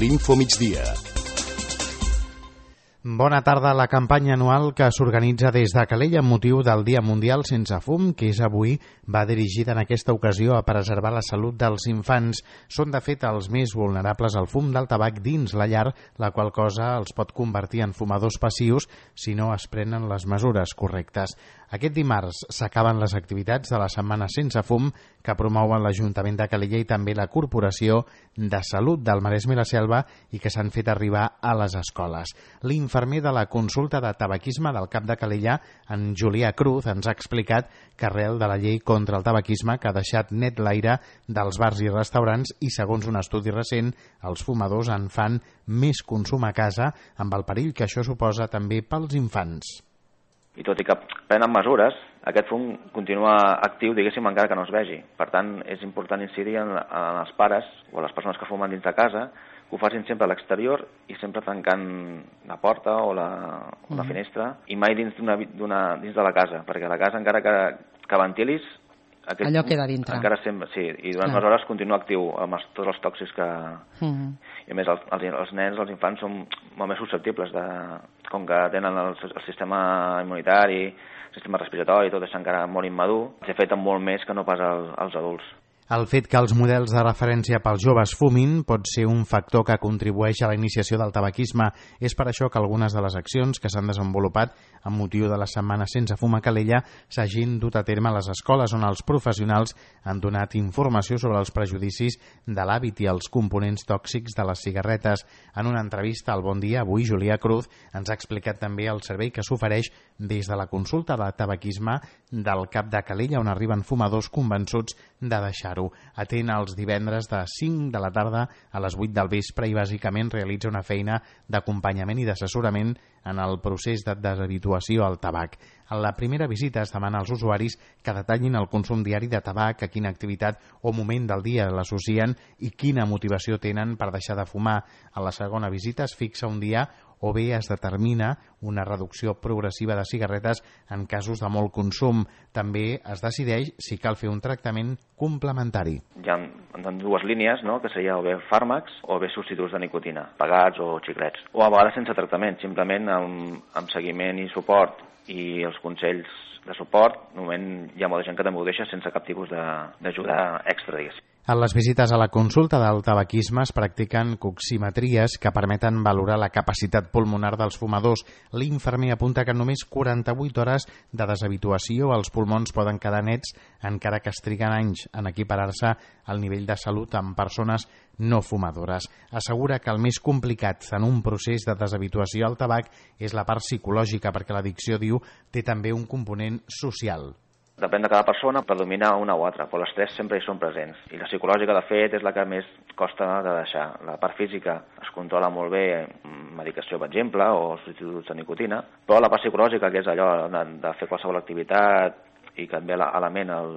l'Info Migdia. Bona tarda. La campanya anual que s'organitza des de Calella amb motiu del Dia Mundial Sense Fum, que és avui, va dirigida en aquesta ocasió a preservar la salut dels infants. Són, de fet, els més vulnerables al fum del tabac dins la llar, la qual cosa els pot convertir en fumadors passius si no es prenen les mesures correctes. Aquest dimarts s'acaben les activitats de la Setmana Sense Fum que promouen l'Ajuntament de Calella i també la Corporació de Salut del Maresme i la Selva i que s'han fet arribar a les escoles. L'infermer de la consulta de tabaquisme del CAP de Calella, en Julià Cruz, ens ha explicat que arrel de la llei contra el tabaquisme que ha deixat net l'aire dels bars i restaurants i, segons un estudi recent, els fumadors en fan més consum a casa amb el perill que això suposa també pels infants. I tot i que prenen mesures, aquest fum continua actiu, diguéssim, encara que no es vegi. Per tant, és important incidir en els pares o les persones que fumen dins de casa, que ho facin sempre a l'exterior i sempre tancant la porta o la finestra i mai dins de la casa, perquè a la casa encara que ventilis, allò queda dintre. Encara sempre, sí, i durant unes hores continua actiu amb tots els tòxics que... I a més, els nens, els infants, són molt més susceptibles com que tenen el sistema immunitari, el sistema respiratori, tot és encara molt immadur, s'afecten molt més que no pas als adults. El fet que els models de referència pels joves fumin pot ser un factor que contribueix a la iniciació del tabaquisme. És per això que algunes de les accions que s'han desenvolupat amb motiu de la Setmana Sense Fum a Calella s'hagin dut a terme a les escoles on els professionals han donat informació sobre els prejudicis de l'hàbit i els components tòxics de les cigarretes. En una entrevista al Bon Dia, avui Julià Cruz ens ha explicat també el servei que s'ofereix des de la consulta de tabaquisme del CAP de Calella, on arriben fumadors convençuts de deixar-ho. Atén els divendres de 5 de la tarda a les 8 del vespre i bàsicament realitza una feina d'acompanyament i d'assessorament en el procés de deshabituació al tabac. En la primera visita es demana als usuaris que detallin el consum diari de tabac, a quina activitat o moment del dia l'associen i quina motivació tenen per deixar de fumar. A la segona visita es fixa un dia o bé es determina una reducció progressiva de cigarretes en casos de molt consum. També es decideix si cal fer un tractament complementari. Hi ha dues línies, no?, que seria o bé fàrmacs o bé substituts de nicotina, pegats o xiclets. O a vegades sense tractament, simplement amb seguiment i suport i els consells de suport. De moment hi ha molta gent que també ho deixa sense cap tipus d'ajuda extra, diguéssim. En les visites a la consulta del tabaquisme es practiquen coximetries que permeten valorar la capacitat pulmonar dels fumadors. L'infermer apunta que en només 48 hores de deshabituació els pulmons poden quedar nets, encara que es triguen anys en equiparar-se al nivell de salut amb persones no fumadores. Assegura que el més complicat en un procés de deshabituació al tabac és la part psicològica, perquè l'addicció, diu, té també un component social. Depèn de cada persona, predomina una o altra, però les tres sempre hi són presents. I la psicològica, de fet, és la que més costa de deixar. La part física es controla molt bé, medicació, per exemple, o substituts de nicotina, però la part psicològica, que és allò de fer qualsevol activitat i que et ve a la ment el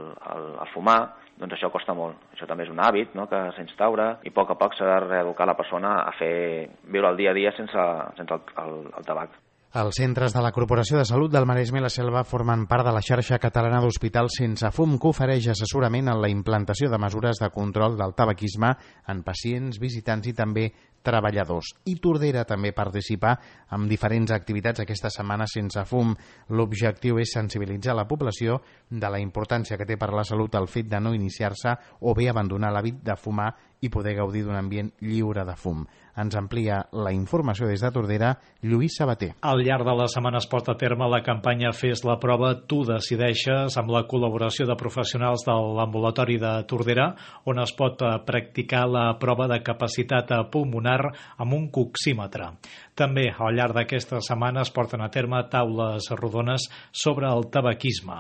fumar, doncs això costa molt. Això també és un hàbit, no?, que s'instaura i a poc s'ha de reeducar la persona a viure el dia a dia sense el tabac. Els centres de la Corporació de Salut del Maresme i la Selva formen part de la xarxa catalana d'hospitals sense fum, que ofereix assessorament en la implantació de mesures de control del tabaquisme en pacients, visitants i també treballadors. I Tordera també participa amb diferents activitats aquesta setmana sense fum. L'objectiu és sensibilitzar la població de la importància que té per la salut el fet de no iniciar-se o bé abandonar l'hàbit de fumar i poder gaudir d'un ambient lliure de fum. Ens amplia la informació des de Tordera Lluís Sabater. Al llarg de la setmana es porta a terme la campanya Fes la prova, tu decideixes, amb la col·laboració de professionals de l'ambulatori de Tordera, on es pot practicar la prova de capacitat pulmonar amb un coxímetre. També al llarg d'aquesta setmana es porten a terme taules rodones sobre el tabaquisme.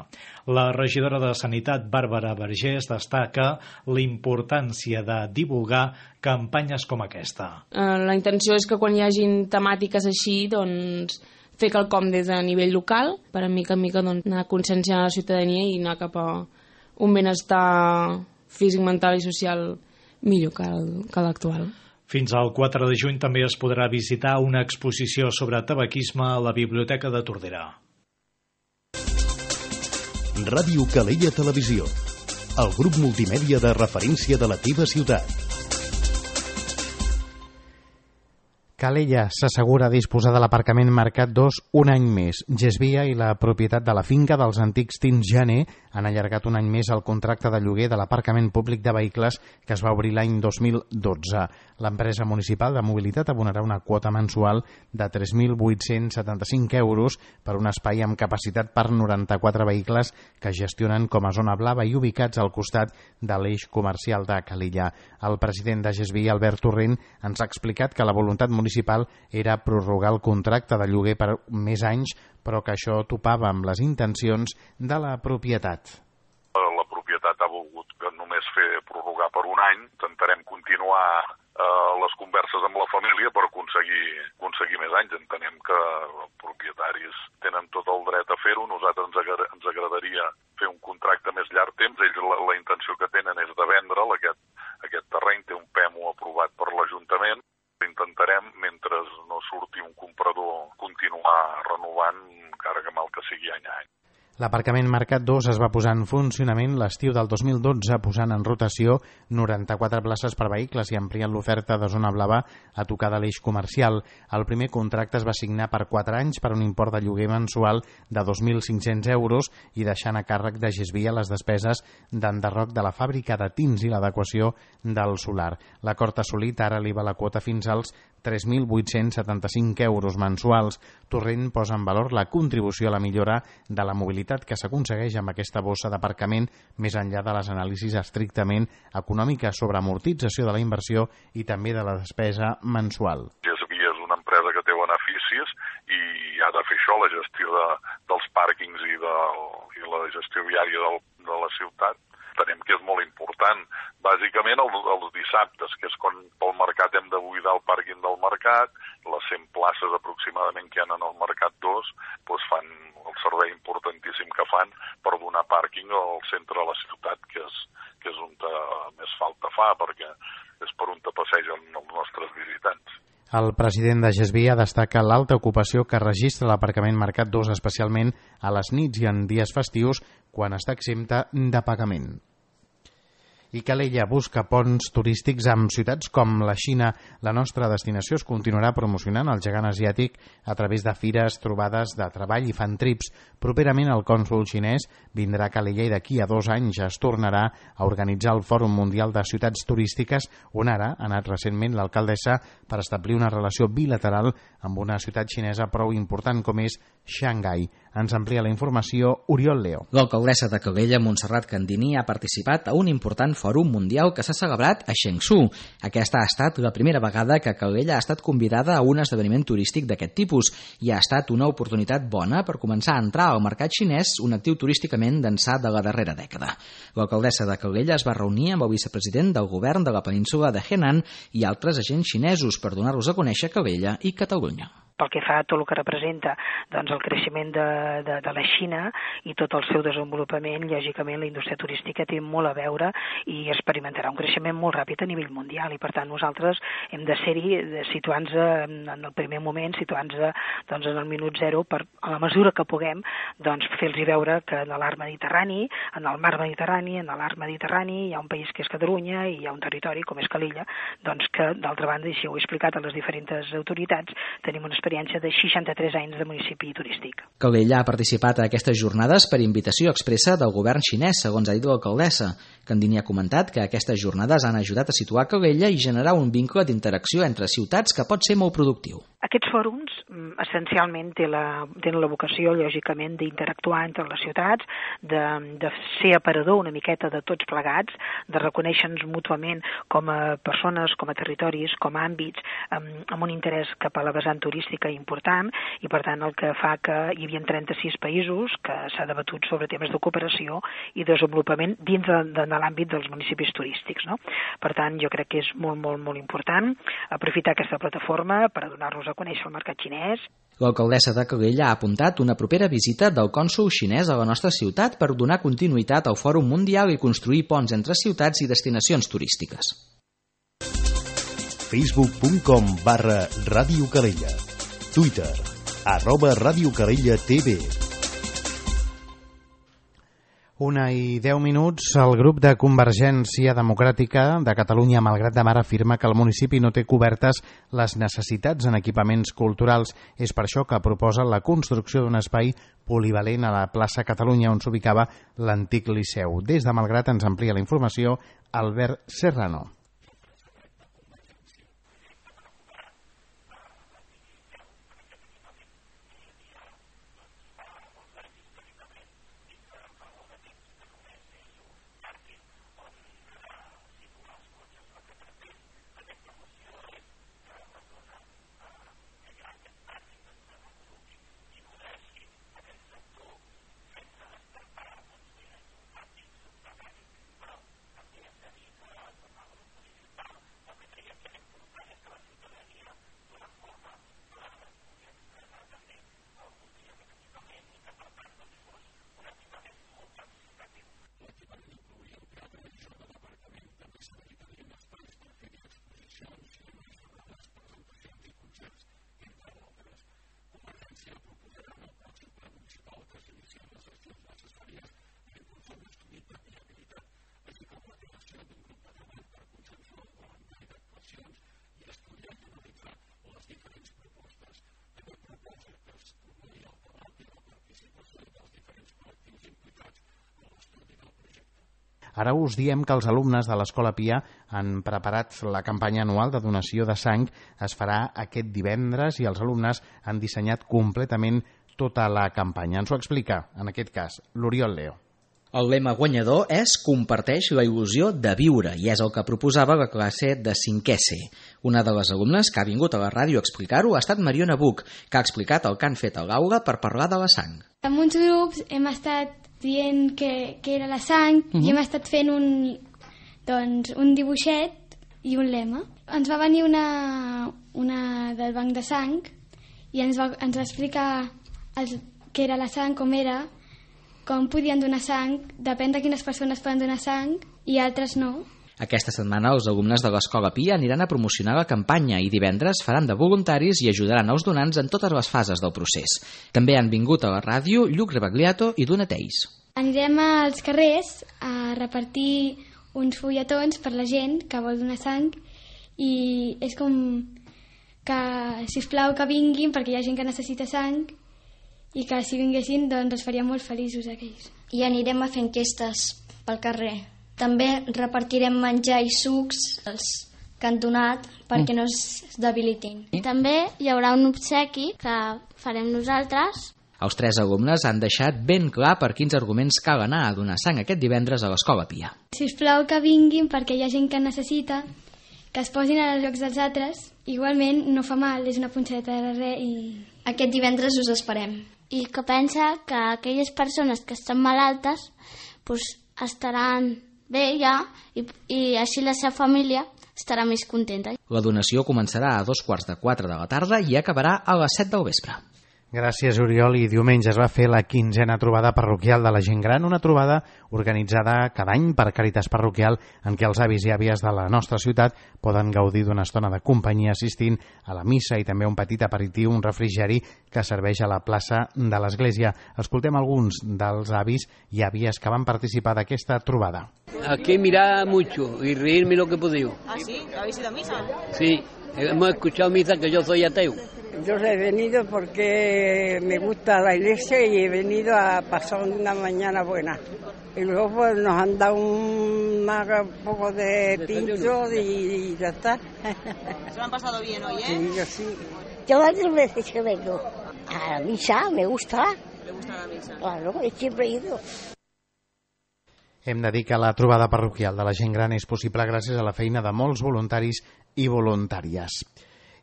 La regidora de Sanitat, Bàrbara Vergés, destaca la importància de divulgar campanyes com aquesta. La intenció és que quan hi hagin temàtiques així, doncs, fer quelcom des de nivell local, per a mica en mica anar conscienciant la ciutadania i anar cap a un benestar físic, mental i social millor que l'actual. Fins al 4 de juny també es podrà visitar una exposició sobre tabaquisme a la Biblioteca de Tordera. Ràdio Calella Televisió, el grup multimèdia de referència de la teva ciutat. Calella s'assegura disposar de l'aparcament Mercat 2 un any més. Gesvia i la propietat de la finca dels antics Tins Janer han allargat un any més el contracte de lloguer de l'aparcament públic de vehicles que es va obrir l'any 2012. L'empresa municipal de mobilitat abonarà una quota mensual de 3.875 euros per un espai amb capacitat per 94 vehicles que es gestionen com a zona blava i ubicats al costat de l'eix comercial de Calella. El president de Gesvia, Albert Torrent, ens ha explicat que la voluntat municipal era prorrogar el contracte de lloguer per més anys, però que això topava amb les intencions de la propietat. La propietat ha volgut que només fer prorrogar per un any. Intentarem continuar les converses amb la família per aconseguir més anys. Entenem que els propietaris tenen tot el dret a fer-ho. Nosaltres ens agradaria fer un contracte més llarg temps. Ells la intenció que tenen és de vendre'l. Aquest terreny té un PEMO aprovat per l'Ajuntament. Intentarem, mentre no surti un comprador, continuar renovant, encara que mal que sigui any a any. L'aparcament Mercat 2 es va posar en funcionament l'estiu del 2012, posant en rotació 94 places per vehicles i ampliant l'oferta de zona blava a tocar de l'eix comercial. El primer contracte es va signar per 4 anys per un import de lloguer mensual de 2.500 euros i deixant a càrrec de Gesvia les despeses d'enderroc de la fàbrica de tins i l'adequació del solar. L'acord assolit ara eleva la quota fins als 3.875 euros mensuals. Torrent posa en valor la contribució a la millora de la mobilitat que s'aconsegueix amb aquesta bossa d'aparcament més enllà de les anàlisis estrictament econòmiques sobre amortització de la inversió i també de la despesa mensual. Gesvia és una empresa que té beneficis i ha de fer això, la gestió dels pàrquings i la gestió viària de la ciutat. Entenem que és molt important. Bàsicament els dissabtes, que és quan pel mercat hem de buidar el pàrquing del mercat, les 100 places aproximadament que hi ha en el Mercat 2, doncs fan el servei importantíssim que fan per donar pàrquing al centre de la ciutat, que és on més falta fa, perquè és per on passegen els nostres visitants. El president de Gesvia destaca l'alta ocupació que registra l'aparcament Mercat 2, especialment a les nits i en dies festius, quan està exempta de pagament. I Calella busca ponts turístics amb ciutats com la Xina. La nostra destinació es continuarà promocionant el gegant asiàtic a través de fires, trobades de treball i fan trips. Properament el cònsol xinès vindrà a Calella i d'aquí a 2 anys es tornarà a organitzar el Fòrum Mundial de Ciutats Turístiques, on ara ha anat recentment l'alcaldessa per establir una relació bilateral amb una ciutat xinesa prou important com és Xangai. Ens amplia la informació Oriol Leo. L'alcaldessa de Calella, Montserrat Candini, ha participat a un important fòrum mundial que s'ha celebrat a Chengdu. Aquesta ha estat la primera vegada que Calella ha estat convidada a un esdeveniment turístic d'aquest tipus i ha estat una oportunitat bona per començar a entrar al mercat xinès, un actiu turísticament d'ençà de la darrera dècada. L'alcaldessa de Calella es va reunir amb el vicepresident del govern de la península de Henan i altres agents xinesos per donar-los a conèixer Calella i Catalunya. Pel que fa a tot el que representa el creixement de la Xina i tot el seu desenvolupament, lògicament la indústria turística té molt a veure i experimentarà un creixement molt ràpid a nivell mundial i per tant nosaltres hem de ser-hi situant-nos en el primer moment, situant-nos en el minut zero per, a la mesura que puguem, fer-los veure que en l'art mediterrani, en el mar mediterrani, en l'art mediterrani hi ha un país que és Catalunya i hi ha un territori com és Calella, que d'altra banda, i si ho he explicat a les diferents autoritats, tenim una experiència de 63 anys de municipi turístic. Calella ha participat a aquestes jornades per invitació expressa del govern xinès, segons ha dit l'alcaldessa. Candini ha comentat que aquestes jornades han ajudat a situar Calella i generar un vincle d'interacció entre ciutats que pot ser molt productiu. Aquests fòrums essencialment tenen la vocació, lògicament, d'interactuar entre les ciutats, de ser aparador una miqueta de tots plegats, de reconèixer-nos mútuament com a persones, com a territoris, com a àmbits, amb un interès cap a la vessant turística important i, per tant, el que fa que hi havia 36 països que s'ha debatut sobre temes de cooperació i desenvolupament dins de l'àmbit dels municipis turístics. No? Per tant, jo crec que és molt, molt, molt important aprofitar aquesta plataforma per donar-nos a conèixer el mercat xinès. L'alcaldessa de Calella ha apuntat una propera visita del cònsol xinès a la nostra ciutat per donar continuïtat al Fòrum Mundial i construir ponts entre ciutats i destinacions turístiques. Facebook.com/Ràdio Calella. Twitter @Ràdio Calella TV. 1:10. El grup de Convergència Democràtica de Catalunya, Malgrat de Mar, afirma que el municipi no té cobertes les necessitats en equipaments culturals. És per això que proposa la construcció d'un espai polivalent a la plaça Catalunya, on s'ubicava l'antic Liceu. Des de Malgrat ens amplia la informació Albert Serrano. Ara us diem que els alumnes de l'Escola Pia han preparat la campanya anual de donació de sang. Es farà aquest divendres i els alumnes han dissenyat completament tota la campanya. Ens ho explica, en aquest cas, l'Oriol Leo. El lema guanyador és "Comparteix la il·lusió de viure" i és el que proposava la classe de 5è C. Una de les alumnes que ha vingut a la ràdio a explicar-ho ha estat Mariona Buch, que ha explicat el que han fet a l'aula per parlar de la sang. En uns grups hem estat dient que era la sang i hem estat fent un dibuixet i un lema. Ens va venir una del banc de sang i ens va explicar què era la sang, com era, com podien donar sang, depèn de quines persones poden donar sang i altres no. Aquesta setmana els alumnes de l'Escola Pia aniran a promocionar la campanya i divendres faran de voluntaris i ajudaran els donants en totes les fases del procés. També han vingut a la ràdio Lluc Rebagliato i Donateis. Anirem als carrers a repartir uns fulletons per la gent que vol donar sang i és com que, sisplau, que vinguin perquè hi ha gent que necessita sang i que si vinguessin doncs els faria molt feliços aquells. I anirem a fer enquestes pel carrer. També repartirem menjar i sucs els que han donat perquè no es debilitin. I també hi haurà un obsequi que farem nosaltres. Els 3 alumnes han deixat ben clar per quins arguments cal anar a donar sang aquest divendres a l'Escola Pia. Sisplau que vinguin perquè hi ha gent que necessita, que es posin als llocs dels altres. Igualment no fa mal, és una punxadeta de res i... Aquest divendres us esperem. I que pensa que aquelles persones que estan malaltes estaran bé ja i així la seva família estarà més contenta. La donació començarà a 3:15 de la tarda i acabarà a les 7 del vespre. Gràcies, Oriol. I diumenge es va fer la 15a trobada parroquial de la gent gran, una trobada organitzada cada any per Càritas Parroquial en què els avis i àvies de la nostra ciutat poden gaudir d'una estona de companyia assistint a la missa i també un petit aperitiu, un refrigeri que serveix a la plaça de l'església. Escoltem alguns dels avis i àvies que van participar d'aquesta trobada. Aquí mirar mucho y reírme lo que he podido. ¿Ah, sí? ¿Habéis ido a misa? Sí, hemos escuchado misa, que yo soy ateo. Yo he venido porque me gusta la iglesia y he venido a pasar una mañana buena. Y luego pues nos han dado un poco de tinto y ya está. ¿Se lo han pasado bien hoy, Sí, yo sí. Yo varias veces que vengo a la misa, me gusta. ¿Le gusta la misa? Claro, siempre he ido. Hem de dir que la trobada parroquial de la gent gran és possible gràcies a la feina de molts voluntaris i voluntàries.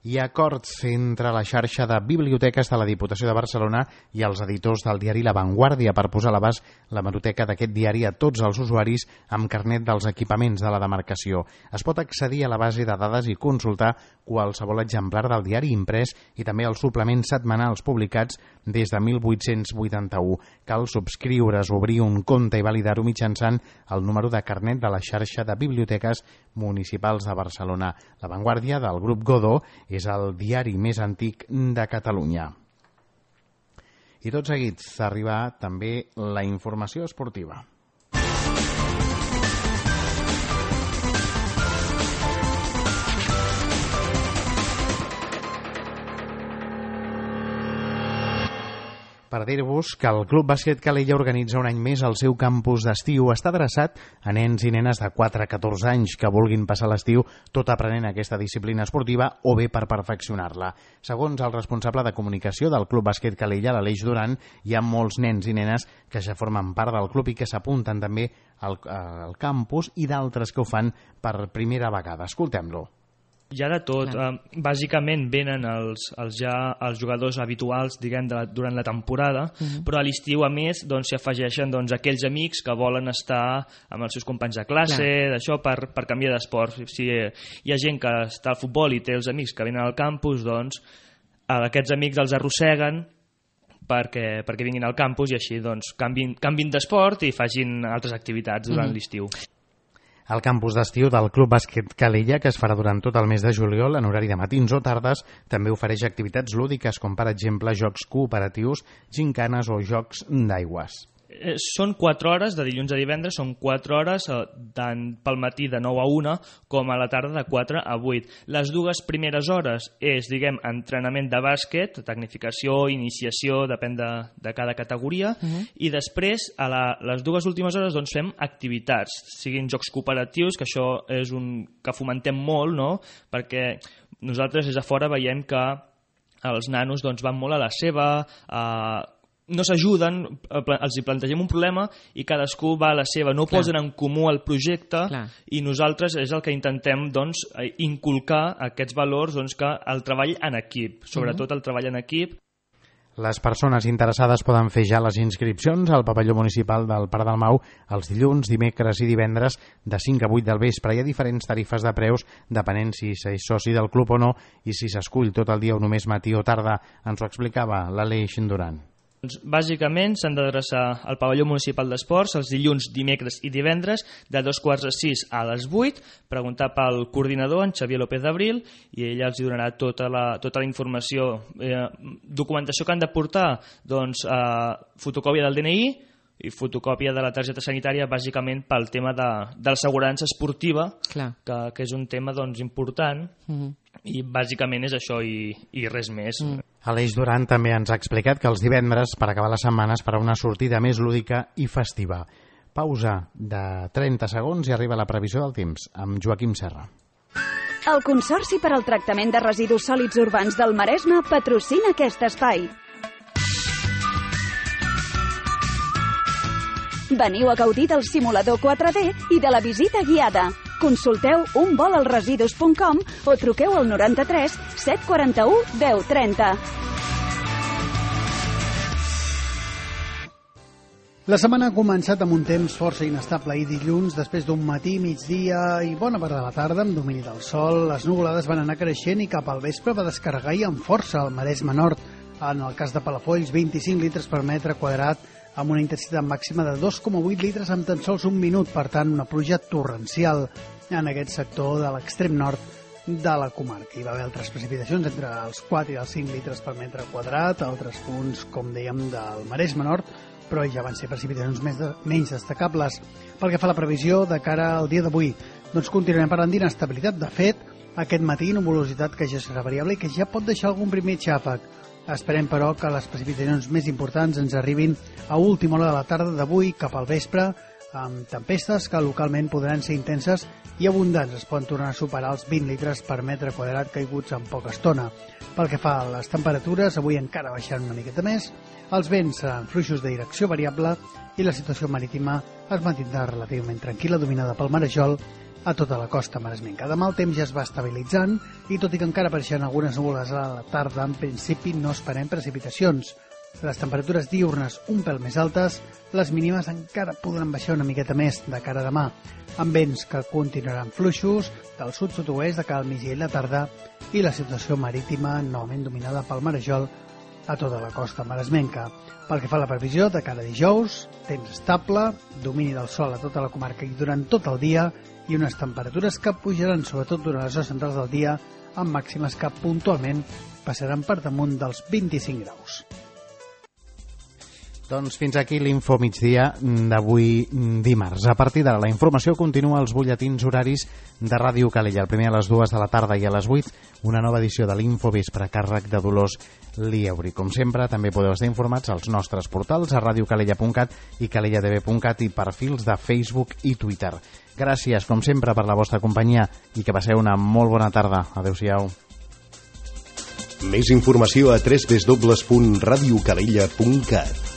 Hi ha acords entre la xarxa de biblioteques de la Diputació de Barcelona i els editors del diari La Vanguardia per posar a l'abast la hemeroteca d'aquest diari a tots els usuaris amb carnet dels equipaments de la demarcació. Es pot accedir a la base de dades i consultar qualsevol exemplar del diari imprès i també els suplements setmanals publicats des de 1881. Cal subscriure's, obrir un compte i validar-ho mitjançant el número de carnet de la xarxa de biblioteques municipals de Barcelona. La Vanguardia, del grup Godó, és el diari més antic de Catalunya. I tot seguit arriba també la informació esportiva. per dir-vos que el Club Bàsquet Calella organitza un any més el seu campus d'estiu. Està adreçat a nens i nenes de 4 a 14 anys que vulguin passar l'estiu tot aprenent aquesta disciplina esportiva o bé per perfeccionar-la. Segons el responsable de comunicació del Club Bàsquet Calella, l'Aleix Duran, hi ha molts nens i nenes que ja formen part del club i que s'apunten també al campus i d'altres que ho fan per primera vegada. Escoltem-lo. Hi ha de tot. Bàsicament venen els jugadors habituals, diguem, durant la temporada, però a l'estiu, a més, s'hi afegeixen aquells amics que volen estar amb els seus companys de classe, d'això, per canviar d'esport. Si hi ha gent que està al futbol i té els amics que venen al campus, aquests amics els arrosseguen perquè vinguin al campus i així canvin d'esport i facin altres activitats durant l'estiu. El campus d'estiu del Club Bàsquet Calella, que es farà durant tot el mes de juliol en horari de matins o tardes, també ofereix activitats lúdiques com, per exemple, jocs cooperatius, gincanes o jocs d'aigües. Són 4 hores, de dilluns a divendres, són 4 hores tant pel matí de 9 a 1 com a la tarda de 4 a 8. Les 2 primeres hores és, diguem, entrenament de bàsquet, tecnificació, iniciació, depèn de cada categoria, i després, a les 2 últimes hores, fem activitats, siguin jocs cooperatius, que això és que fomentem molt, no? Perquè nosaltres des de fora veiem que els nanos van molt a la seva, no s'ajuden, els hi plantegem un problema i cadascú va a la seva, no posen en comú el projecte i nosaltres és el que intentem inculcar aquests valors que el treball en equip, sobretot el treball en equip. Les persones interessades poden fer ja les inscripcions al pavelló municipal del Parc del Mau els dilluns, dimecres i divendres de 5 a 8 del vespre. Hi ha diferents tarifes de preus depenent si s'és soci del club o no i si s'escull tot el dia o només matí o tarda. Ens ho explicava l'Aleix Duran. Bàsicament s'han d'adreçar al pavelló municipal d'esports els dilluns, dimecres i divendres de 5:45 a les 8, preguntar pel coordinador, en Xavier López d'Abril, i ell els donarà tota la informació. Documentació que han de portar, fotocòpia del DNI i fotocòpia de la targeta sanitària, bàsicament pel tema de l'assegurança esportiva, que és un tema important, i bàsicament és això i res més. Aleix Duran també ens ha explicat que els divendres, per acabar la setmana, es farà una sortida més lúdica i festiva. Pausa de 30 segons i arriba la previsió del temps amb Joaquim Serra. El Consorci per al Tractament de Residus Sòlids Urbans del Maresme patrocina aquest espai. Veniu a gaudir del simulador 4D i de la visita guiada. Consulteu unvolalresidus.com o truqueu al 93 741 1030. La setmana ha començat amb un temps força inestable i dilluns, després d'un matí, migdia i bona part de la tarda, amb domini del sol, les nuvolades van anar creixent i cap al vespre va descarregar i amb força al Maresme Nord. En el cas de Palafolls, 25 litres per metre quadrat, amb una intensitat màxima de 2,8 litres en tan sols un minut, per tant, una pluja torrencial en aquest sector de l'extrem nord de la comarca. Hi va haver altres precipitacions entre els 4 i els 5 litres per metre quadrat, altres punts, com dèiem, del Maresme Nord, però ja van ser precipitacions menys destacables. Pel que fa a la previsió de cara al dia d'avui, continuarem parlant d'inestabilitat. De fet, aquest matí, nuvolositat que ja serà variable i que ja pot deixar algun primer xàfec. Esperem, però, que les precipitacions més importants ens arribin a última hora de la tarda d'avui cap al vespre, amb tempestes que localment podran ser intenses i abundants. Es poden tornar a superar els 20 litres per metre quadrat caiguts en poca estona. Pel que fa a les temperatures, avui encara baixaran una miqueta més, els vents seran fluixos de direcció variable i la situació marítima es mantindrà relativament tranquil·la, dominada pel marejol a tota la costa maresmenca. Demà el temps ja es va estabilitzant i tot i que encara apareixen algunes núvoles a la tarda, en principi no esperem precipitacions. Les temperatures diurnes un pèl més altes, les mínimes encara podran baixar una miqueta més de cara a demà, amb vents que continuaran fluixos del sud-sud-oest de cara al migdia i la tarda i la situació marítima novament dominada pel marejol a tota la costa maresmenca. Pel que fa a la previsió de cara a dijous, temps estable, domini del sol a tota la comarca i durant tot el dia i unes temperatures que pujaran sobretot durant les hores centrals del dia amb màximes que puntualment passaran per damunt dels 25 graus. Doncs fins aquí l'Info Migdia d'avui dimarts. A partir d'ara la informació continua als butlletins horaris de Ràdio Calella. El primer a les 2 de la tarda i a les 8 una nova edició de l'Info Vespre a càrrec de Dolors Lieuri. Com sempre, també podeu estar informats als nostres portals a radiocalella.cat i calellatv.cat i perfils de Facebook i Twitter. Gràcies, com sempre, per la vostra companyia i que passeu una molt bona tarda. Adéu-siau. Més informació a www.radiocalella.cat.